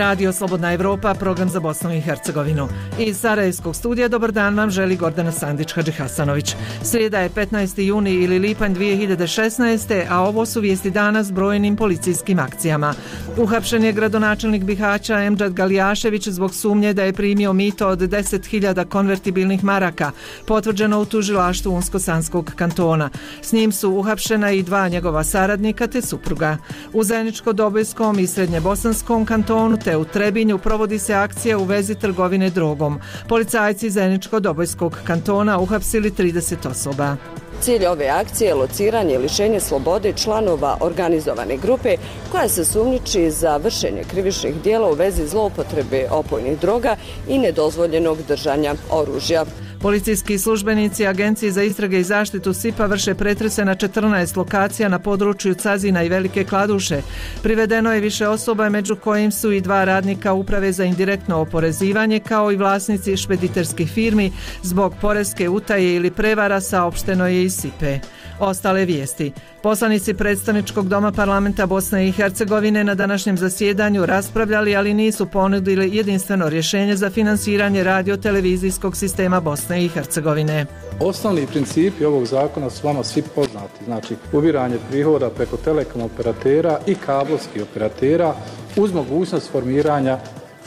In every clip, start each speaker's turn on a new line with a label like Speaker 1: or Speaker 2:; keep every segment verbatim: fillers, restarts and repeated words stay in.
Speaker 1: Radio Slobodna Evropa, program za Bosnu i Hercegovinu. Iz Sarajevskog studija dobar dan vam želi Gordana Sandić-Hadžihasanović. Srijeda je petnaesti juni ili lipanj dvije hiljade šesnaeste. a ovo su vijesti dana s brojnim policijskim akcijama. Uhapšen je gradonačelnik Bihaća Emdžad Galijašević zbog sumnje da je primio mito od deset hiljada konvertibilnih maraka, potvrđeno u tužilaštvu Unsko-Sanskog kantona. S njim su uhapšena i dva njegova saradnika te supruga. U Zeničko-Dobojskom i Srednjebosanskom kantonu te u Trebinju provodi se akcija u vezi trgovine drogom. Policajci Zeničko-Dobojskog kantona uhapsili trideset osoba.
Speaker 2: Cilj ove akcije je lociranje i lišenje slobode članova organizovane grupe koja se sumnjiči za vršenje krivičnih djela u vezi zloupotrebe opojnih droga i nedozvoljenog držanja oružja.
Speaker 1: Policijski službenici Agencije za istrage i zaštitu S I P-a vrše pretrese na četrnaest lokacija na području Cazina i Velike Kladuše. Privedeno je više osoba, među kojim su i dva radnika Uprave za indirektno oporezivanje, kao i vlasnici špediterskih firmi. Zbog poreske utaje ili prevara saopšteno je iz S I P-e. Ostale vijesti. Poslanici predstavničkog doma parlamenta Bosne i Hercegovine na današnjem zasjedanju raspravljali, ali nisu ponudili jedinstveno rješenje za finansiranje radio-televizijskog sistema Bosne i Hercegovine.
Speaker 3: Osnovni principi ovog zakona su vama svi poznati, znači ubiranje prihoda preko telekom operatera i kablovskih operatera uz mogućnost formiranja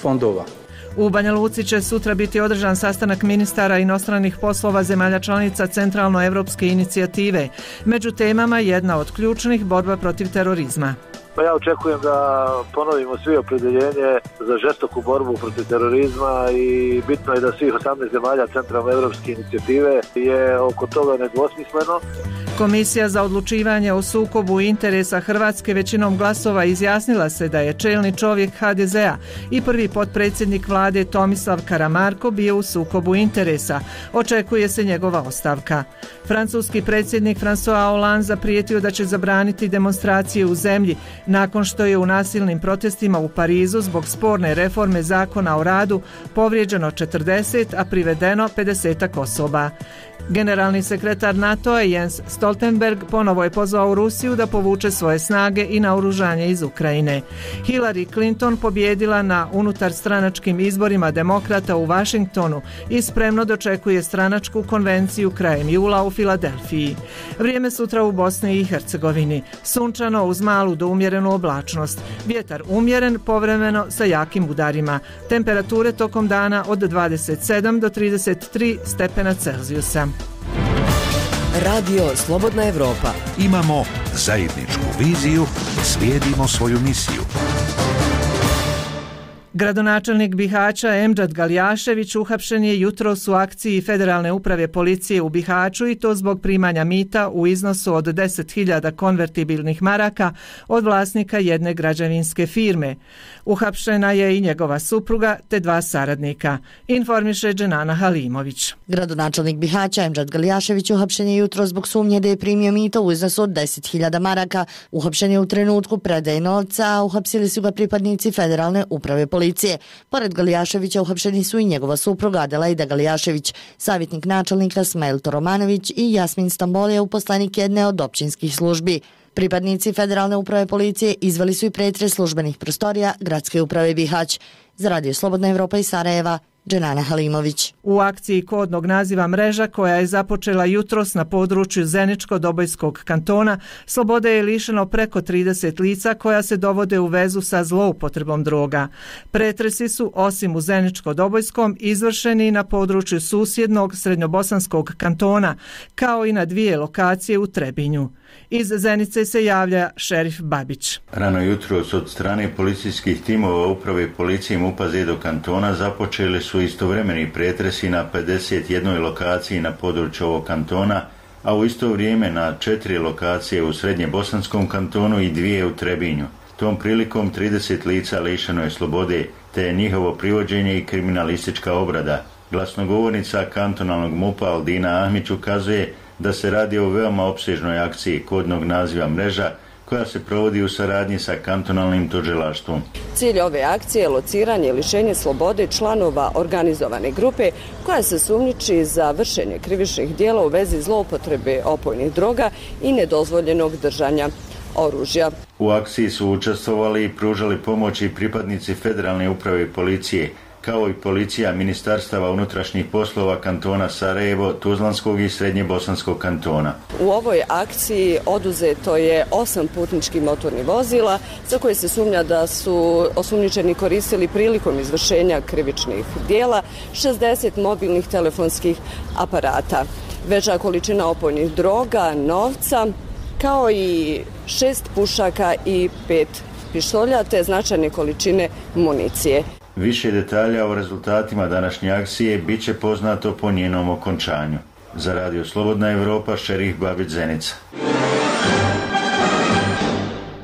Speaker 3: fondova.
Speaker 1: U Banja Luci će sutra biti održan sastanak ministara inostranih poslova zemalja članica Centralnoevropske inicijative. Među temama jedna od ključnih borba protiv terorizma.
Speaker 4: Pa ja očekujem da ponovimo svi opredjeljenje za žestoku borbu protiv terorizma i bitno je da svih osamnaest zemalja Centralnoevropske inicijative je oko toga nedvosmisleno.
Speaker 1: Komisija za odlučivanje o sukobu interesa Hrvatske većinom glasova izjasnila se da je čelni čovjek H D Z-a i prvi potpredsjednik vlade Tomislav Karamarko bio u sukobu interesa. Očekuje se njegova ostavka. Francuski predsjednik François Hollande zaprijetio da će zabraniti demonstracije u zemlji nakon što je u nasilnim protestima u Parizu zbog sporne reforme zakona o radu povrijeđeno četrdeset, a privedeno pedeset osoba. Generalni sekretar NATO-a Jens Stoltenberg ponovo je pozvao Rusiju da povuče svoje snage i naoružanje iz Ukrajine. Hillary Clinton pobjedila na unutarstranačkim izborima demokrata u Washingtonu i spremno dočekuje stranačku konvenciju krajem jula u Filadelfiji. Vrijeme sutra u Bosni i Hercegovini. Sunčano uz malu do umjerenu oblačnost. Vjetar umjeren, povremeno sa jakim udarima. Temperature tokom dana od dvadeset sedam do trideset tri stepena Celzijusa.
Speaker 5: Radio Slobodna Evropa.
Speaker 6: Imamo zajedničku viziju, slijedimo svoju misiju.
Speaker 1: Gradonačelnik Bihaća Emdžad Galijašević uhapšen je jutros u akciji Federalne uprave policije u Bihaću i to zbog primanja mita u iznosu od deset hiljada konvertibilnih maraka od vlasnika jedne građevinske firme. Uhapšena je i njegova supruga te dva saradnika, informiše Dženana Halimović.
Speaker 7: Gradonačelnik Bihaća Emdžad Galijašević uhapšen je jutros zbog sumnje da je primio mito u iznosu od deset hiljada maraka. Uhapšen je u trenutku predaje novca, a uhapsili su ga pripadnici Federalne uprave policije. Policije. Pored Galijaševića uhapšeni su i njegova supruga Adelaida Galijašević, savjetnik načelnika Smail Toromanović i Jasmin Stambolija, uposlenik jedne od općinskih službi. Pripadnici Federalne uprave policije izveli su i pretres službenih prostorija Gradske uprave Bihać. Za Radio Slobodna Evropa iz Sarajeva, Dženana Halimović.
Speaker 1: U akciji kodnog naziva Mreža, koja je započela jutros na području Zeničko-Dobojskog kantona, slobode je lišeno preko trideset lica koja se dovode u vezu sa zloupotrebom droga. Pretresi su, osim u Zeničko-Dobojskom, izvršeni na području susjednog Srednjobosanskog kantona, kao i na dvije lokacije u Trebinju. Iz Zenice se javlja šerif Babić.
Speaker 8: Rano jutros od strane policijskih timova uprave policije MUP-a Zedo kantona započeli su istovremeni pretresi na pedeset jednoj lokaciji na području ovog kantona, a u isto vrijeme na četiri lokacije u Srednjebosanskom kantonu i dvije u Trebinju. Tom prilikom trideset lica lišeno je slobode, te je njihovo privođenje i kriminalistička obrada. Glasnogovornica kantonalnog MUP-a Aldina Ahmić ukazuje da se radi o veoma opsežnoj akciji kodnog naziva Mreža, koja se provodi u saradnji sa kantonalnim tužilaštvom.
Speaker 2: Cilj ove akcije je lociranje i lišenje slobode članova organizovane grupe koja se sumnjiči za vršenje krivičnih djela u vezi zloupotrebe opojnih droga i nedozvoljenog držanja oružja.
Speaker 8: U akciji su učestvovali i pružali pomoć i pripadnici Federalne uprave i policije, kao i policija ministarstava unutrašnjih poslova kantona Sarajevo, Tuzlanskog i Srednjebosanskog kantona.
Speaker 2: U ovoj akciji oduzeto je osam putničkih motornih vozila za koje se sumnja da su osumnjičeni koristili prilikom izvršenja krivičnih dijela, šezdeset mobilnih telefonskih aparata, veća količina opojnih droga, novca, kao i šest pušaka i pet pištolja te značajne količine municije.
Speaker 8: Više detalja o rezultatima današnje akcije bit će poznato po njenom okončanju. Za Radio Slobodna Evropa, Šerif Babić Zenica.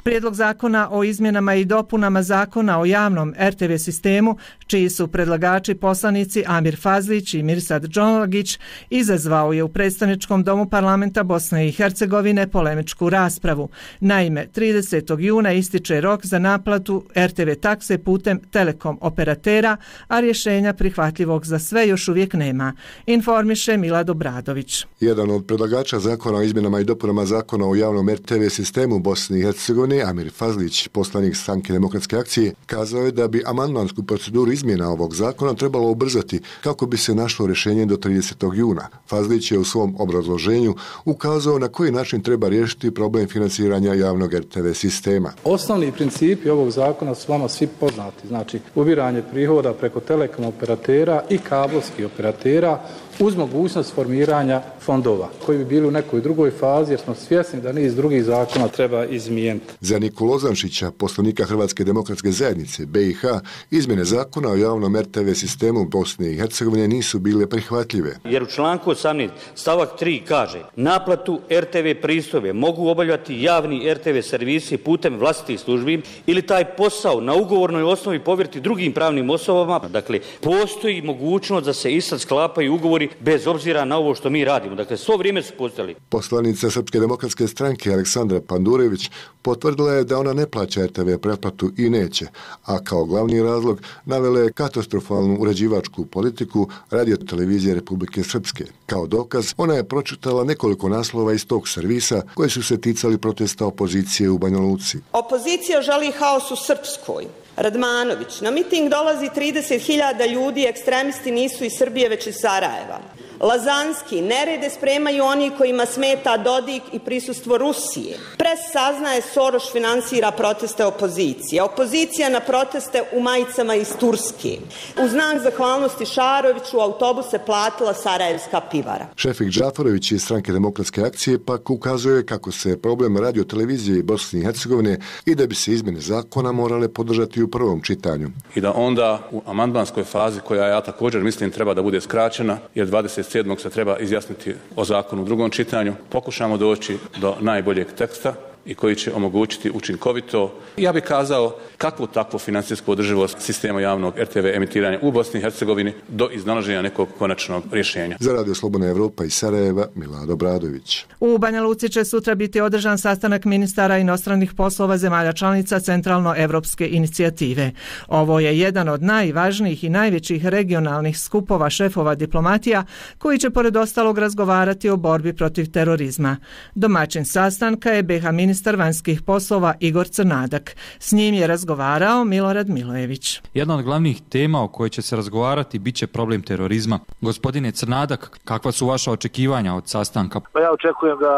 Speaker 1: Prijedlog zakona o izmjenama i dopunama zakona o javnom er te ve sistemu, čiji su predlagači poslanici Amir Fazlić i Mirsad Džonlagić, izazvao je u predstavničkom domu parlamenta Bosne i Hercegovine polemičku raspravu. Naime, tridesetog juna ističe rok za naplatu er te ve takse putem telekom operatera, a rješenja prihvatljivog za sve još uvijek nema, informiše Milad Obradović.
Speaker 9: Jedan od predlagača zakona o izmjenama i dopunama zakona o javnom er te ve sistemu u Bosni i Hercegovini, Amir Fazlić, poslanik Stranke demokratske akcije, kazao je da bi amandmansku proceduru izmjena ovog zakona trebalo ubrzati kako bi se našlo rješenje do tridesetog juna. Fazlić je u svom obrazloženju ukazao na koji način treba riješiti problem financiranja javnog er te ve sistema.
Speaker 3: Osnovni principi ovog zakona su vama svi poznati, znači ubiranje prihoda preko telekom operatera i kablovskih operatera uz mogućnost formiranja fondova koji bi bili u nekoj drugoj fazi jer smo svjesni da niz drugih zakona treba izmijeniti.
Speaker 9: Za Nikolu Ozančića, poslanika Hrvatske demokratske zajednice be i ha, izmjene zakona o javnom er te ve sistemu Bosne i Hercegovine nisu bile prihvatljive.
Speaker 10: Jer u članku osamnaest stavak tri kaže: naplatu er te ve pristojbe mogu obavljati javni er te ve servisi putem vlastitih službi ili taj posao na ugovornoj osnovi povjeriti drugim pravnim osobama. Dakle, postoji mogućnost da se i sad sklapaju ugovori bez obzira na ovo što mi radimo. Dakle, svo vrijeme su postali.
Speaker 9: Poslanica Srpske demokratske stranke Aleksandra Pandurević potvrdila je da ona ne plaća er te ve pretplatu i neće, a kao glavni razlog navela je katastrofalnu uređivačku politiku Radio-televizije Republike Srpske. Kao dokaz, ona je pročitala nekoliko naslova iz tog servisa koji su se ticali protesta opozicije u Banja Luci.
Speaker 11: Opozicija želi haos u Srpskoj. Radmanović, na miting dolazi trideset hiljada ljudi, ekstremisti nisu iz Srbije već iz Sarajeva. Lazanski, nerede spremaju oni kojima smeta Dodik i prisustvo Rusije. Pres saznaje Soroš finansira proteste opozicije. Opozicija na proteste u majicama iz Turske. U znak zahvalnosti Šaroviću autobuse platila Sarajevska pivara.
Speaker 9: Šefik Džafarović iz Stranke demokratske akcije pak ukazuje kako se problem Radio-televizije Bosne i Hercegovine i da bi se izmjene zakona morale podržati u prvom čitanju.
Speaker 12: I da onda u amandmanskoj fazi, koja ja također mislim treba da bude skraćena, jer dvadeset sedmog se treba izjasniti o zakonu u drugom čitanju, pokušamo doći do najboljeg teksta i koji će omogućiti učinkovito, ja bih kazao, kakvu takvu financijsku održivost sistema javnog er te ve emitiranja u Bosni i Hercegovini do iznalaženja nekog konačnog rješenja.
Speaker 9: Za Radio Slobodna Evropa iz Sarajeva, Milad Obradović.
Speaker 1: U Banja Luci će sutra biti održan sastanak ministara inostranih poslova zemalja članica Centralno-evropske inicijative. Ovo je jedan od najvažnijih i najvećih regionalnih skupova šefova diplomatija koji će pored ostalog razgovarati o borbi protiv terorizma. Domaćin sastanka je be ha ministar vanjskih poslova Igor Crnadak. S njim je razgovarao Milorad Milojević.
Speaker 13: Jedna od glavnih tema o kojoj će se razgovarati bit će problem terorizma. Gospodine Crnadak, kakva su vaša očekivanja od sastanka?
Speaker 4: Pa ja očekujem da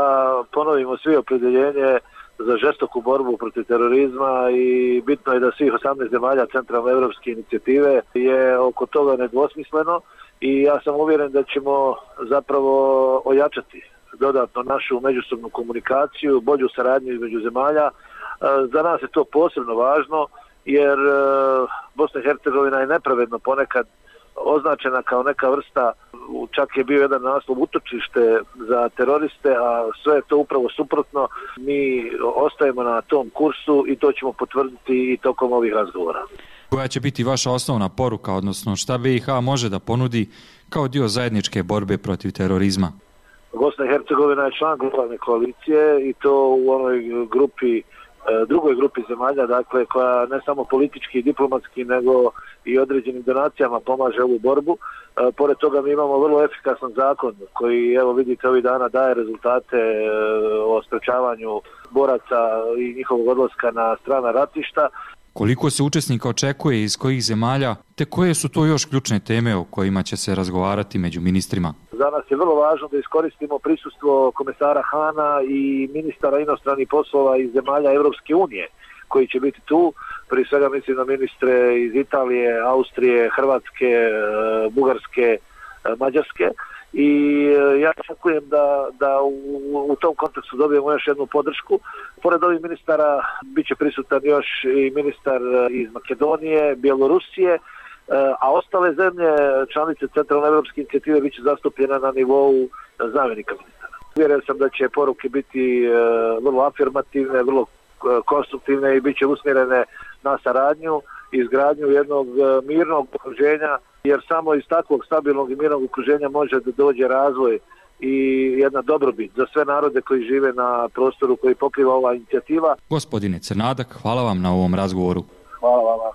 Speaker 4: ponovimo svi opredjeljenje za žestoku borbu protiv terorizma i bitno je da svih osamnaest zemalja Centralne evropske inicijative je oko toga nedvosmisleno i ja sam uvjeren da ćemo zapravo ojačati dodatno našu međusobnu komunikaciju, bolju saradnju između zemalja. Za nas je to posebno važno jer Bosna i Hercegovina je nepravedno ponekad označena kao neka vrsta, čak je bio jedan naslov utočište za teroriste, a sve je to upravo suprotno. Mi ostajemo na tom kursu i to ćemo potvrditi i tokom ovih razgovora.
Speaker 13: Koja će biti vaša osnovna poruka, odnosno šta be i ha može da ponudi kao dio zajedničke borbe protiv terorizma?
Speaker 4: Bosna i Hercegovina je član globalne koalicije i to u onoj grupi, drugoj grupi zemalja, dakle, koja ne samo politički i diplomatski, nego i određenim donacijama pomaže ovu borbu. Pored toga mi imamo vrlo efikasan zakon koji, evo vidite, ovih dana daje rezultate o sprečavanju boraca i njihovog odlaska na strana ratišta.
Speaker 13: Koliko se učesnika očekuje, iz kojih zemalja, te koje su to još ključne teme o kojima će se razgovarati među ministrima?
Speaker 4: Za nas je vrlo važno da iskoristimo prisustvo komesara Hana i ministara inostranih poslova iz zemalja Europske unije koji će biti tu. Prije svega mislim na ministre iz Italije, Austrije, Hrvatske, Bugarske, Mađarske. I ja očekujem da, da u, u tom kontekstu dobijemo još jednu podršku. Pored ovih ministara bit će prisutan još i ministar iz Makedonije, Bjelorusije, a ostale zemlje, članice Centralne evropske inicijative, bit će zastupljena na nivou zamjenika ministara. Vjerujem sam da će poruke biti vrlo afirmativne, vrlo konstruktivne i bit će usmjerene na saradnju i izgradnju jednog mirnog okruženja, jer samo iz takvog stabilnog i mirnog okruženja može da dođe razvoj i jedna dobrobit za sve narode koji žive na prostoru koji pokriva ova inicijativa.
Speaker 13: Gospodine Crnadak, hvala vam na ovom razgovoru.
Speaker 4: Hvala vam.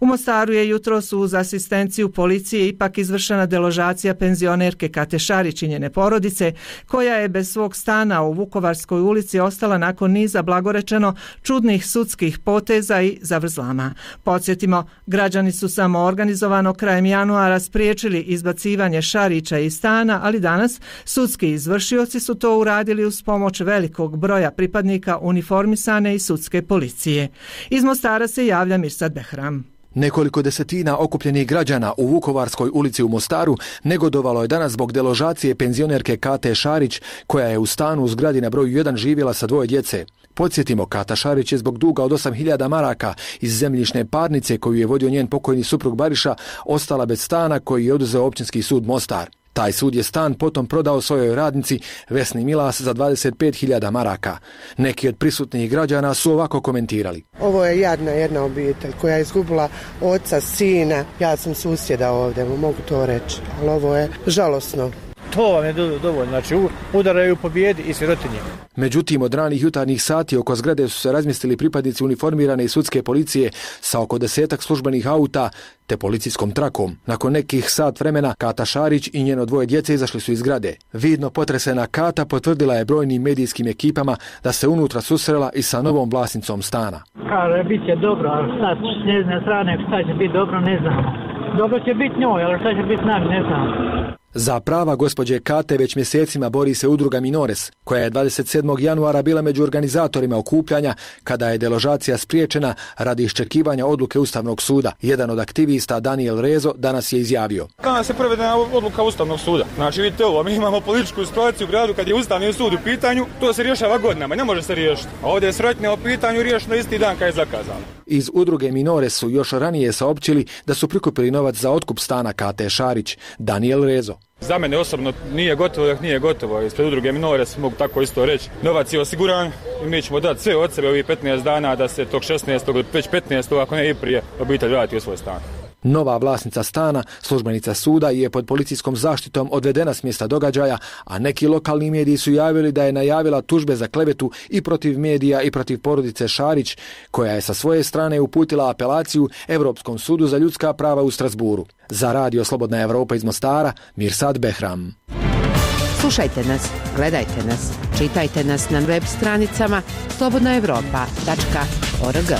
Speaker 1: U Mostaru je jutros uz asistenciju policije ipak izvršena deložacija penzionerke Kate Šarić i njene porodice, koja je bez svog stana u Vukovarskoj ulici ostala nakon niza, blagorečeno, čudnih sudskih poteza i zavrzlama. Podsjetimo, građani su samo organizovano krajem januara spriječili izbacivanje Šarića iz stana, ali danas sudski izvršioci su to uradili uz pomoć velikog broja pripadnika uniformisane i sudske policije. Iz Mostara se javlja Mirsad Behram.
Speaker 14: Nekoliko desetina okupljenih građana u Vukovarskoj ulici u Mostaru negodovalo je danas zbog deložacije penzionerke Kate Šarić, koja je u stanu u zgradi na broju jedan živjela sa dvoje djece. Podsjetimo, Kata Šarić je zbog duga od osam hiljada maraka iz zemljišne parnice koju je vodio njen pokojni suprug Bariša ostala bez stana koji je oduzeo Općinski sud Mostar. Taj sud je stan potom prodao svojoj radnici Vesni Milas za dvadeset pet hiljada maraka. Neki od prisutnih građana su ovako komentirali.
Speaker 15: Ovo je jadna jedna obitelj koja je izgubila oca, sina. Ja sam susjeda ovdje, mogu to reći, ali ovo je žalosno.
Speaker 16: To vam je dovoljno, znači udaraju po bijedi i sirotinje.
Speaker 14: Međutim, od ranih jutarnjih sati oko zgrade su se razmjestili pripadnici uniformirane i sudske policije sa oko desetak službenih auta te policijskom trakom. Nakon nekih sat vremena Kata Šarić i njeno dvoje djece izašli su iz zgrade. Vidno potresena Kata potvrdila je brojnim medijskim ekipama da se unutra susrela i sa novom vlasnicom stana.
Speaker 17: Kaže, bit će dobro, ali sad s njezine strane šta će biti dobro, ne znamo. Dobro će biti njoj, ali šta će biti nami, ne znamo.
Speaker 14: Za prava gospođe Kate već mjesecima bori se udruga Minores, koja je dvadeset sedmog januara bila među organizatorima okupljanja kada je deložacija spriječena radi iščekivanja odluke Ustavnog suda. Jedan od aktivista, Daniel Rezo, danas je izjavio.
Speaker 18: Kada se provedena odluka Ustavnog suda? Znači, vidite ovo, mi imamo političku situaciju u gradu kad je Ustavni sud u pitanju, to se rješava godinama, ne može se riješiti. A ovdje je srotnje o pitanju riješeno isti dan kad je zakazano.
Speaker 14: Iz udruge Minores su još ranije saopćili da su prikupili novac za otkup stana Kate Šarić. Daniel Rezo.
Speaker 18: Za mene osobno nije gotovo, dok nije gotovo. Ispred udruge Minores mogu tako isto reći. Novac je osiguran i mi ćemo dati sve od sebe ovih petnaest dana da se tog šesnaestog već petnaestog ako ne i prije obitelj vrati u svoj stan.
Speaker 14: Nova vlasnica stana, službenica suda, je pod policijskom zaštitom odvedena s mjesta događaja, a neki lokalni mediji su javili da je najavila tužbe za klevetu i protiv medija i protiv porodice Šarić, koja je sa svoje strane uputila apelaciju Europskom sudu za ljudska prava u Strasburu. Za Radio Slobodna Evropa iz Mostara, Mirsad Behram.
Speaker 19: Slušajte nas, gledajte nas, čitajte nas na web stranicama slobodna evropa tačka org.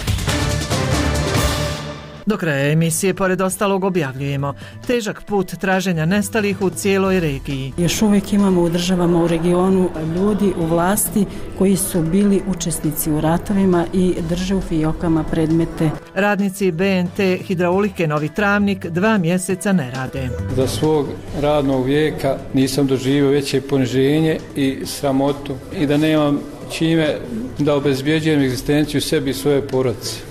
Speaker 1: Do kraja emisije, pored ostalog, objavljujemo težak put traženja nestalih u cijeloj regiji.
Speaker 20: Još uvijek imamo u državama u regionu ljudi u vlasti koji su bili učesnici u ratovima i drže u fijokama predmete.
Speaker 1: Radnici B N T Hidraulike Novi Travnik dva mjeseca ne rade.
Speaker 21: Za svog radnog vijeka nisam doživio veće poniženje i sramotu i da nemam čime da obezbjeđujem egzistenciju sebi i svoje porodice.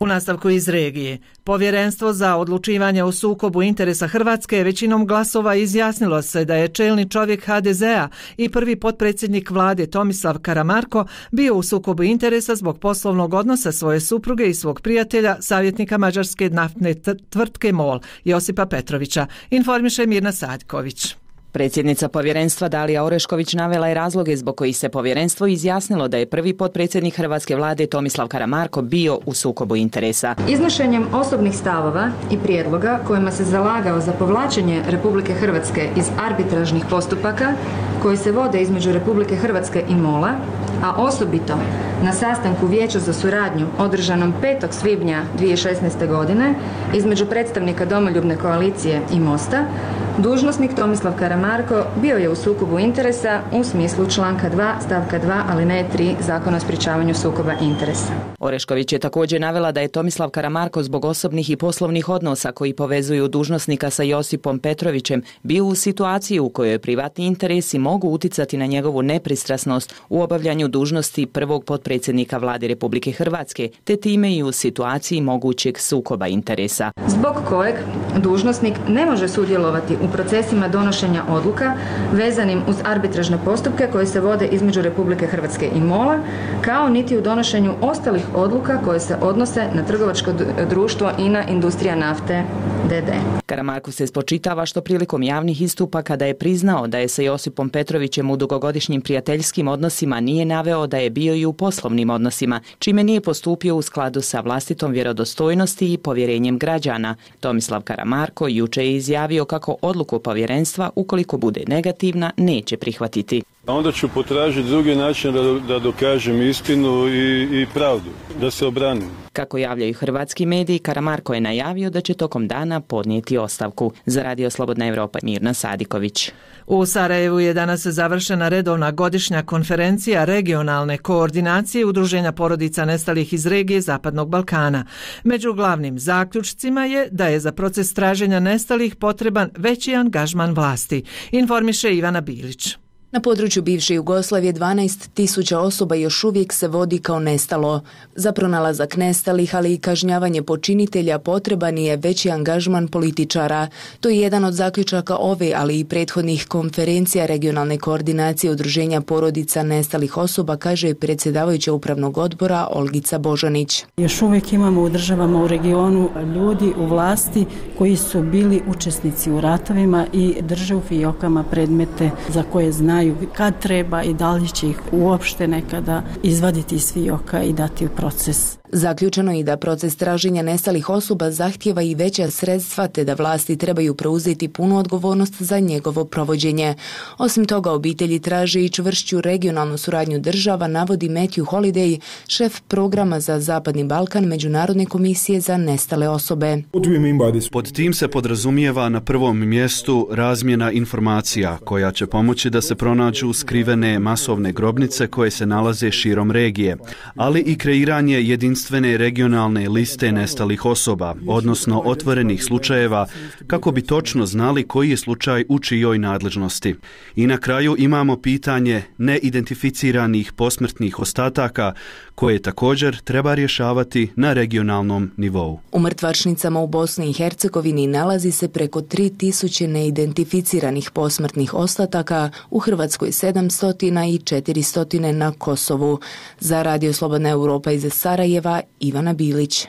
Speaker 1: U nastavku iz regije, Povjerenstvo za odlučivanje o sukobu interesa Hrvatske većinom glasova izjasnilo se da je čelni čovjek H D Z-a i prvi potpredsjednik vlade Tomislav Karamarko bio u sukobu interesa zbog poslovnog odnosa svoje supruge i svog prijatelja, savjetnika mađarske naftne tvrtke MOL, Josipa Petrovića, informiše Mirna Sadković.
Speaker 5: Predsjednica povjerenstva Dalija Orešković navela je razloge zbog kojih se povjerenstvo izjasnilo da je prvi potpredsjednik hrvatske vlade Tomislav Karamarko bio u sukobu interesa.
Speaker 22: Iznošenjem osobnih stavova i prijedloga kojima se zalagao za povlačenje Republike Hrvatske iz arbitražnih postupaka koji se vode između Republike Hrvatske i MOL-a, a osobito na sastanku Vijeća za suradnju održanom petog svibnja dvije tisuće šesnaeste. godine između predstavnika Domoljubne koalicije i Mosta, dužnosnik Tomislav Karamarko bio je u sukobu interesa u smislu članka dva stavka dva alineje tri Zakona o sprječavanju sukoba interesa.
Speaker 5: Orešković je također navela da je Tomislav Karamarko zbog osobnih i poslovnih odnosa koji povezuju dužnosnika sa Josipom Petrovićem bio u situaciji u kojoj privatni interesi mogu uticati na njegovu nepristrasnost u obavljanju dužnosti prvog potpredsjednika Vlade Republike Hrvatske, te time i u situaciji mogućeg sukoba interesa.
Speaker 22: Zbog kojeg dužnosnik ne može sudjelovati u procesima donošenja odluka vezanim uz arbitražne postupke koje se vode između Republike Hrvatske i MOL-a, kao niti u donošenju ostalih odluka koje se odnose na trgovačko društvo I N A Industrija nafte D D.
Speaker 5: Karamarku se spočitava što prilikom javnih istupa kada je priznao da je sa Josipom Petrovićem u dugogodišnjim prijateljskim odnosima nije naveo da je bio i u poslovnim odnosima, čime nije postupio u skladu sa vlastitom vjerodostojnosti i povjerenjem građana. Tomislav Karamarko juče je izjavio kako odluku povjerenstva, ukoliko bude negativna, neće prihvatiti.
Speaker 23: Onda ću potražiti drugi način da, da dokažem istinu i, i pravdu, da se obranim.
Speaker 5: Kako javljaju hrvatski mediji, Karamarko je najavio da će tokom dana podnijeti ostavku. Za Radio Slobodna Evropa, Mirna Sadiković.
Speaker 1: U Sarajevu je danas završena redovna godišnja konferencija regionalne koordinacije Udruženja porodica nestalih iz regije Zapadnog Balkana. Među glavnim zaključcima je da je za proces traženja nestalih potreban veći angažman vlasti, informiše Ivana Bilić.
Speaker 24: Na području bivše Jugoslavije dvanaest tisuća osoba još uvijek se vodi kao nestalo. Za pronalazak nestalih, ali i kažnjavanje počinitelja potreban je veći angažman političara. To je jedan od zaključaka ove, ali i prethodnih konferencija regionalne koordinacije Udruženja porodica nestalih osoba, kaže predsjedavajuća upravnog odbora Olgica Božanić.
Speaker 20: Još uvijek imamo u državama u regionu ljudi u vlasti koji su bili učesnici u ratovima i drže u fijokama predmete za koje znaju kad treba i da li će ih uopšte nekada izvaditi iz fijoka i dati u proces.
Speaker 24: Zaključeno je da proces traženja nestalih osoba zahtijeva i veća sredstva, te da vlasti trebaju preuzeti punu odgovornost za njegovo provođenje. Osim toga, obitelji traže i čvršću regionalnu suradnju država, navodi Matthew Holiday, šef programa za Zapadni Balkan Međunarodne komisije za nestale osobe.
Speaker 25: Pod tim se podrazumijeva na prvom mjestu razmjena informacija koja će pomoći da se pronađu skrivene masovne grobnice koje se nalaze širom regije, ali i kreiranje jedinstvenih regionalne liste nestalih osoba, odnosno otvorenih slučajeva, kako bi točno znali koji je slučaj u čijoj nadležnosti. I na kraju imamo pitanje neidentificiranih posmrtnih ostataka, koje također treba rješavati na regionalnom nivou.
Speaker 24: U mrtvačnicama u Bosni i Hercegovini nalazi se preko tri tisuće neidentificiranih posmrtnih ostataka, u Hrvatskoj sedamsto i četiristo na Kosovu. Za Radio Slobodna Europa iz Sarajeva, Ivana Bilić.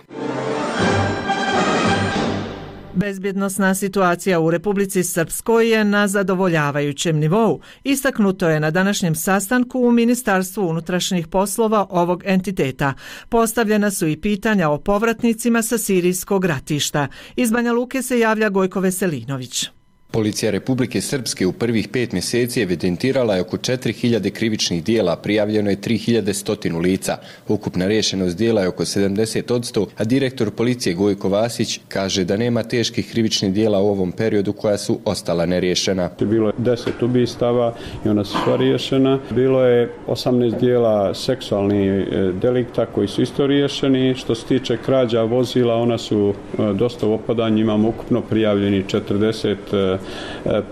Speaker 1: Bezbjednosna situacija u Republici Srpskoj je na zadovoljavajućem nivou. Istaknuto je na današnjem sastanku u Ministarstvu unutrašnjih poslova ovog entiteta. Postavljena su i pitanja o povratnicima sa sirijskog ratišta. Iz Banja Luke se javlja Gojko Veselinović.
Speaker 26: Policija Republike Srpske u prvih pet mjeseci evidentirala je oko četiri hiljade krivičnih dijela, prijavljeno je tri hiljade sto lica. Ukupna rješenost dijela je oko sedamdeset posto, a direktor policije Gojko Vasić kaže da nema teških krivičnih dijela u ovom periodu koja su ostala neriješena.
Speaker 23: Bilo je deset ubistava i ona su sva riješena. Bilo je osamnaest dijela seksualnih delikta koji su isto riješeni. Što se tiče krađa vozila, ona su dosta u opadanju, imamo ukupno prijavljeni četrdeset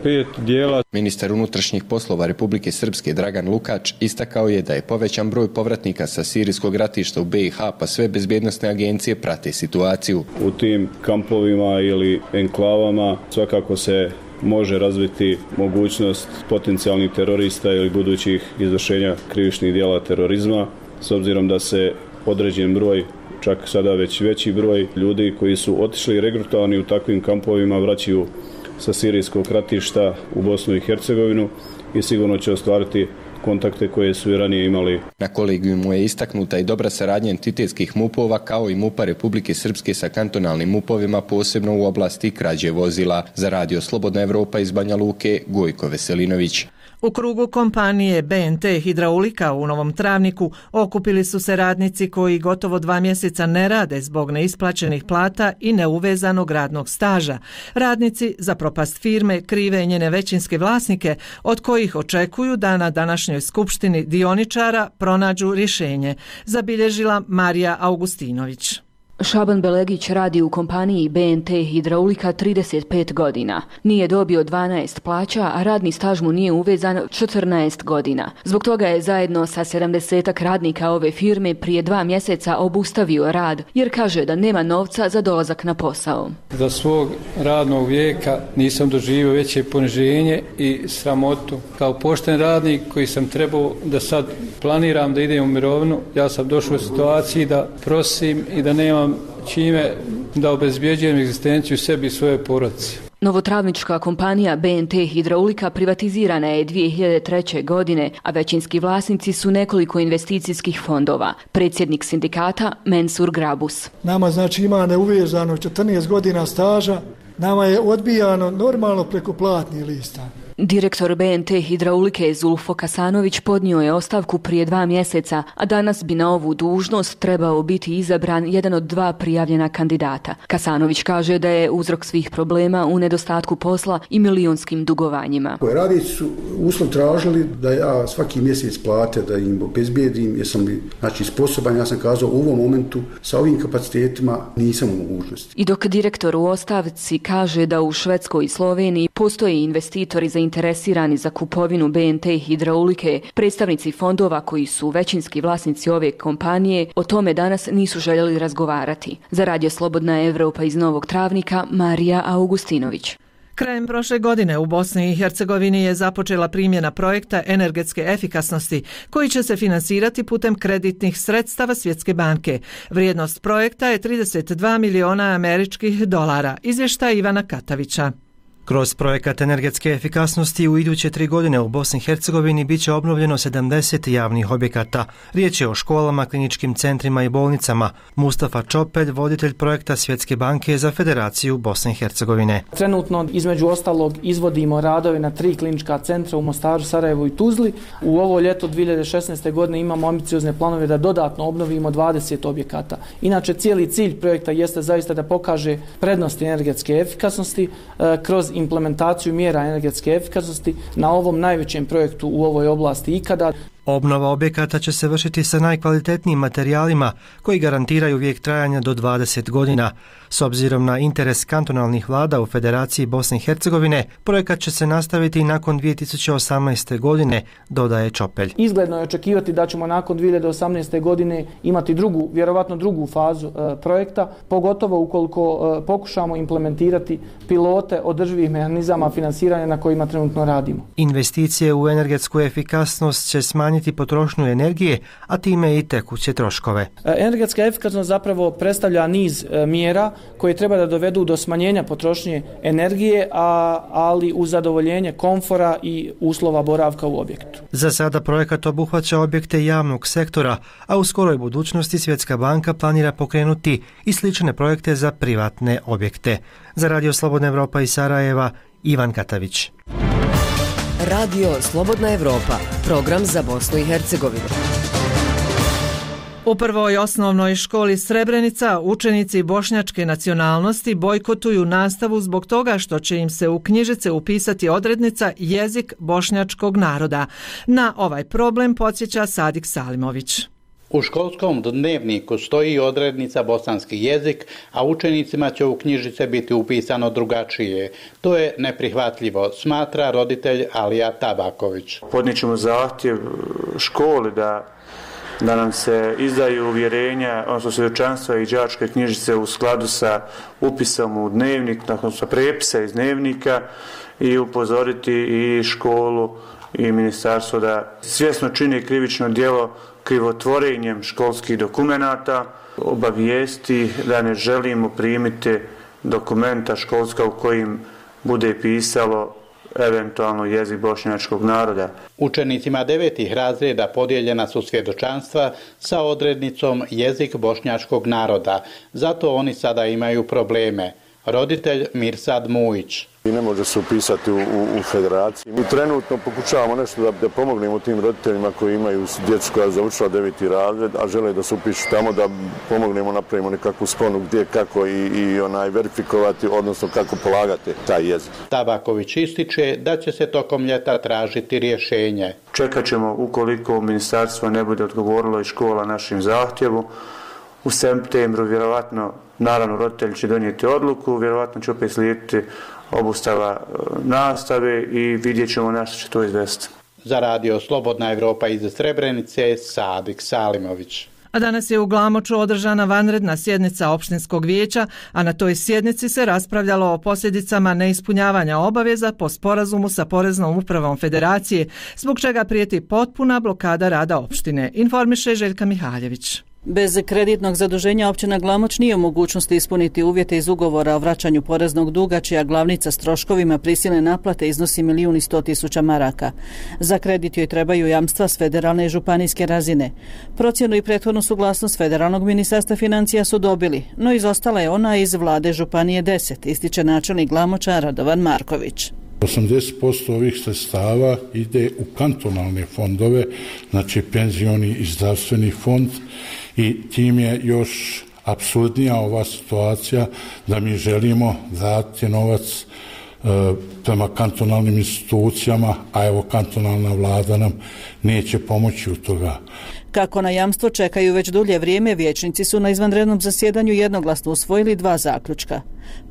Speaker 23: pet dijela.
Speaker 26: Ministar unutrašnjih poslova Republike Srpske Dragan Lukač istakao je da je povećan broj povratnika sa sirijskog ratišta u B i H, pa sve bezbjednosne agencije prate situaciju.
Speaker 23: U tim kampovima ili enklavama svakako se može razviti mogućnost potencijalnih terorista ili budućih izvršenja krivičnih dijela terorizma, s obzirom da se određen broj, čak sada već veći broj ljudi koji su otišli i regrutovani u takvim kampovima vraćaju sa sirijskog ratišta u Bosnu i Hercegovinu i sigurno će ostvariti kontakte koje su i ranije imali.
Speaker 26: Na kolegijumu je istaknuta i dobra saradnja entitetskih mupova kao i mupa Republike Srpske sa kantonalnim mupovima, posebno u oblasti krađe vozila. Za Radio Slobodna Evropa iz Banja Luke, Gojko Veselinović.
Speaker 1: U krugu kompanije B N T Hidraulika u Novom Travniku okupili su se radnici koji gotovo dva mjeseca ne rade zbog neisplaćenih plata i neuvezanog radnog staža. Radnici za propast firme krive njene većinske vlasnike, od kojih očekuju da na današnjoj skupštini dioničara pronađu rješenje, zabilježila Marija Augustinović.
Speaker 2: Šaban Belegić radi u kompaniji B N T Hidraulika trideset pet godina. Nije dobio dvanaest plaća, a radni staž mu nije uvezan četrnaest godina. Zbog toga je zajedno sa sedamdesetak radnika ove firme prije dva mjeseca obustavio rad, jer kaže da nema novca za dolazak na posao.
Speaker 21: Za svog radnog vijeka nisam doživio veće poniženje i sramotu. Kao pošten radnik koji sam trebao da sad planiram da idem u mirovinu, ja sam došao u situaciji da prosim i da nemam čime da obezbjeđujem egzistenciju sebi i svoje porodice.
Speaker 2: Novotravnička kompanija B N T Hidraulika privatizirana je dvije hiljade treće. godine, a većinski vlasnici su nekoliko investicijskih fondova. Predsjednik sindikata Mensur Grabus.
Speaker 3: Nama znači ima neuvezano četrnaest godina staža, nama je odbijano normalno preko platnih lista.
Speaker 2: Direktor B N T Hidraulike Zulfo Kasanović podnio je ostavku prije dva mjeseca, a danas bi na ovu dužnost trebao biti izabran jedan od dva prijavljena kandidata. Kasanović kaže da je uzrok svih problema u nedostatku posla i milionskim dugovanjima.
Speaker 6: Radnici su uslov tražili da ja svaki mjesec plate, da im obezbijedim, jesam li znači, sposoban, ja sam kazao u ovom momentu sa ovim kapacitetima nisam u mogućnosti.
Speaker 2: I dok direktor u ostavci kaže da u Švedskoj i Sloveniji postoje investitori za interesirani za kupovinu B N T Hidraulike, predstavnici fondova koji su većinski vlasnici ove kompanije o tome danas nisu željeli razgovarati. Za Radio Slobodna Evropa iz Novog Travnika, Marija Augustinović.
Speaker 1: Krajem prošle godine u Bosni i Hercegovini je započela primjena projekta energetske efikasnosti koji će se finansirati putem kreditnih sredstava Svjetske banke. Vrijednost projekta je trideset dva miliona američkih dolara, izvještaj Ivana Katavića.
Speaker 7: Kroz projekat energetske efikasnosti u iduće tri godine u Bosni i Hercegovini bit će obnovljeno sedamdeset javnih objekata. Riječ je o školama, kliničkim centrima i bolnicama. Mustafa Čopelj, voditelj projekta Svjetske banke za Federaciju Bosne i Hercegovine.
Speaker 8: Trenutno između ostalog izvodimo radove na tri klinička centra u Mostaru, Sarajevu i Tuzli. U ovo ljeto dvije hiljade šesnaeste. godine imamo ambiciozne planove da dodatno obnovimo dvadeset objekata. Inače, cijeli cilj projekta jeste zaista da pokaže prednosti energetske efikasnosti kroz implementaciju mjera energetske efikasnosti na ovom najvećem projektu u ovoj oblasti ikada.
Speaker 7: Obnova objekata će se vršiti sa najkvalitetnijim materijalima koji garantiraju vijek trajanja do dvadeset godina. S obzirom na interes kantonalnih vlada u Federaciji Bosne i Hercegovine, projekat će se nastaviti i nakon dvije tisuće osamnaeste. godine, dodaje Čopelj.
Speaker 8: Izgledno je očekivati da ćemo nakon dvije hiljade osamnaeste. godine imati drugu, vjerovatno drugu fazu e, projekta, pogotovo ukoliko e, pokušamo implementirati pilote održivih mehanizama finansiranja na kojima trenutno radimo.
Speaker 7: Investicije u energetsku efikasnost će smanjiti potrošnju energije, a time i tekuće troškove.
Speaker 8: Energetska efikasnost zapravo predstavlja niz e, mjera koje treba da dovedu do smanjenja potrošnje energije, a, ali uz zadovoljenje komfora i uslova boravka u objektu.
Speaker 7: Za sada projekat obuhvaća objekte javnog sektora, a u skoroj budućnosti Svjetska banka planira pokrenuti i slične projekte za privatne objekte. Za Radio Slobodna Evropa iz Sarajeva, Ivan Katavić.
Speaker 10: Radio Slobodna Evropa, program za Bosnu i Hercegovinu.
Speaker 1: U prvoj osnovnoj školi Srebrenica učenici bošnjačke nacionalnosti bojkotuju nastavu zbog toga što će im se u knjižice upisati odrednica jezik bošnjačkog naroda. Na ovaj problem podsjeća Sadik Salimović.
Speaker 27: U školskom dnevniku stoji odrednica bosanski jezik, a učenicima će u knjižice biti upisano drugačije. To je neprihvatljivo, smatra roditelj Alija Tabaković.
Speaker 28: Podnijet zahtjev školi da da nam se izdaju uvjerenja, odnosno svjedočanstva i đačke knjižice u skladu sa upisom u dnevnik, odnosno prepisa iz dnevnika i upozoriti i školu i ministarstvo da svjesno čini krivično djelo krivotvorenjem školskih dokumenata, obavijesti da ne želimo primiti dokumenta školska u kojim bude pisalo eventualno jezik bošnjačkog naroda.
Speaker 27: Učenicima devetih razreda podijeljena su svjedočanstva sa odrednicom jezik bošnjačkog naroda, zato oni sada imaju probleme. Roditelj Mirsad Mujić.
Speaker 4: I ne može se upisati u, u, u federaciji. Mi trenutno pokušavamo nešto da, da pomognemo tim roditeljima koji imaju djecu koja je završila deveti razred, a žele da se upišu tamo, da pomognemo, napravimo nekakvu sponu gdje, kako i, i onaj verifikovati, odnosno kako polagati taj jezik.
Speaker 27: Tabaković ističe da će se tokom ljeta tražiti rješenje.
Speaker 28: Čekat ćemo ukoliko ministarstvo ne bude odgovorilo i škola našim zahtjevu. U septembru vjerovatno, naravno roditelji će donijeti odluku, vjerovatno će opet slijediti obustava nastave i vidjet ćemo na što će to izvesti.
Speaker 27: Za radio Slobodna Evropa iz Srebrenice, Sadik Salimović.
Speaker 1: A danas je u Glamoču održana vanredna sjednica opštinskog vijeća, a na toj sjednici se raspravljalo o posljedicama neispunjavanja obaveza po sporazumu sa Poreznom upravom Federacije, zbog čega prijeti potpuna blokada rada opštine, informiše Željka Mihaljević.
Speaker 9: Bez kreditnog zaduženja općina Glamoč nije u mogućnosti ispuniti uvjete iz ugovora o vraćanju poreznog duga, čija glavnica s troškovima prisilne naplate iznosi milijun i sto tisuća maraka. Za kredit joj trebaju jamstva s federalne i županijske razine. Procjenu i prethodnu suglasnost Federalnog ministarstva financija su dobili, no izostala je ona iz vlade Županije deset, ističe načelnik Glamoča Radovan Marković.
Speaker 11: osamdeset posto ovih sredstava ide u kantonalne fondove, znači penzioni i zdravstveni fond, i tim je još apsurdnija ova situacija da mi želimo dati novac e, prema kantonalnim institucijama, a evo kantonalna vlada nam neće pomoći u toga.
Speaker 9: Kako na jamstvo čekaju već dulje vrijeme, vijećnici su na izvanrednom zasjedanju jednoglasno usvojili dva zaključka.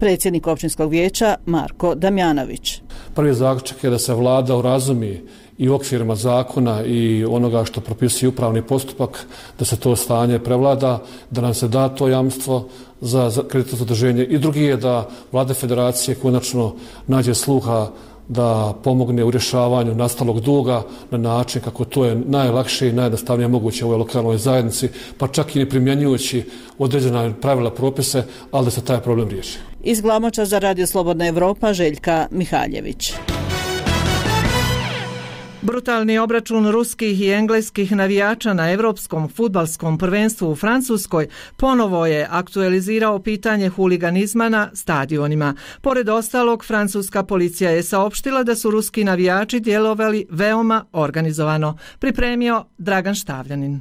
Speaker 9: Predsjednik općinskog vijeća Marko Damjanović.
Speaker 12: Prvi zaključak je da se vlada urazumi i u okvirima zakona i onoga što propisuje upravni postupak, da se to stanje prevlada, da nam se da to jamstvo za kreditno zaduženje. I drugi je da vlada federacije konačno nađe sluha da pomogne u rješavanju nastalog duga na način kako to je najlakše i najjednostavnije moguće u ovoj lokalnoj zajednici, pa čak i ne primjenjujući određena pravila, propise, ali da se taj problem riješi.
Speaker 9: Iz Glamoča za radio Slobodna Evropa, Željka Mihaljević.
Speaker 1: Brutalni obračun ruskih i engleskih navijača na Evropskom fudbalskom prvenstvu u Francuskoj ponovo je aktualizirao pitanje huliganizma na stadionima. Pored ostalog, francuska policija je saopštila da su ruski navijači djelovali veoma organizovano, pripremio Dragan Štavljanin.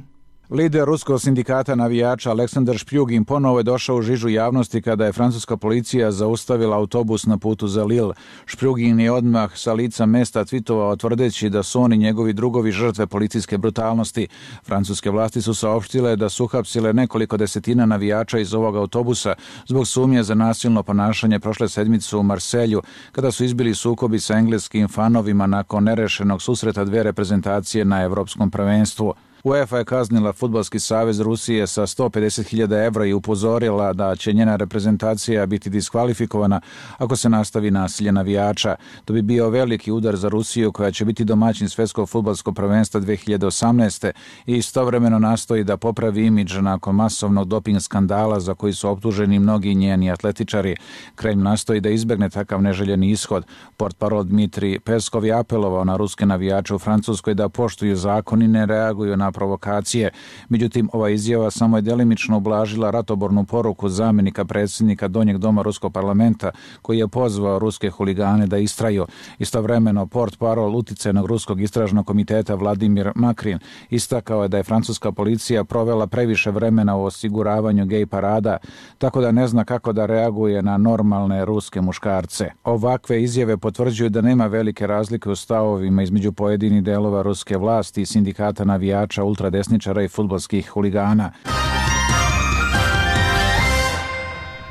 Speaker 13: Lider ruskog sindikata navijača Aleksandar Špjugin ponovo je došao u žižu javnosti kada je francuska policija zaustavila autobus na putu za Lille. Špjugin je odmah sa lica mesta tvitovao tvrdeći da su oni njegovi drugovi žrtve policijske brutalnosti. Francuske vlasti su saopštile da su uhapsile nekoliko desetina navijača iz ovog autobusa zbog sumnje za nasilno ponašanje prošle sedmice u Marselju, kada su izbili sukobi sa engleskim fanovima nakon nerešenog susreta dve reprezentacije na Evropskom prvenstvu. UEFA je kaznila Fudbalski savez Rusije sa sto pedeset hiljada evra i upozorila da će njena reprezentacija biti diskvalifikovana ako se nastavi nasilje navijača. To bi bio veliki udar za Rusiju, koja će biti domaćin Svjetskog fudbalskog prvenstva dve hiljade osamnaeste. i istovremeno nastoji da popravi imidž nakon masovnog doping skandala za koji su optuženi mnogi njeni atletičari. Kremlj nastoji da izbjegne takav neželjeni ishod. Portparol Dmitrij Peskov je apelovao na ruske navijače u Francuskoj da poštuju zakon i ne reaguju na provokacije. Međutim, ova izjava samo je delimično ublažila ratobornu poruku zamjenika predsjednika Donjeg doma ruskog parlamenta, koji je pozvao ruske huligane da istraju. Istovremeno, portparol uticajnog ruskog istražnog komiteta Vladimir Makrin istakao je da je francuska policija provela previše vremena u osiguravanju gej parada, tako da ne zna kako da reaguje na normalne ruske muškarce. Ovakve izjave potvrđuju da nema velike razlike u stavovima između pojedinih delova ruske vlasti i sindikata navijača, ultradesničara i fudbalskih huligana.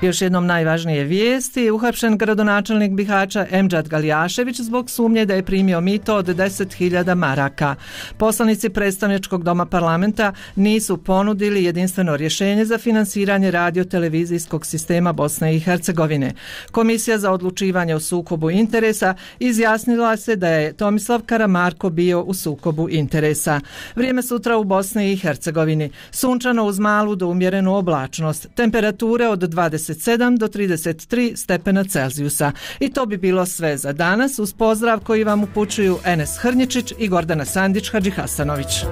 Speaker 1: Još jednom najvažnije vijesti. Uhapšen gradonačelnik Bihaća Emdžad Galjašević zbog sumnje da je primio mito od deset hiljada maraka. Poslanici predstavničkog doma parlamenta nisu ponudili jedinstveno rješenje za finansiranje radio-televizijskog sistema Bosne i Hercegovine. Komisija za odlučivanje o sukobu interesa izjasnila se da je Tomislav Karamarko bio u sukobu interesa. Vrijeme sutra u Bosni i Hercegovini. Sunčano uz malu do umjerenu oblačnost. Temperature od dvadeset dvadeset sedam do trideset tri stepena Celzijusa. I to bi bilo sve za danas uz pozdrav koji vam upućuju Enes Hrnječić i Gordana Sandić Hadžihasanović.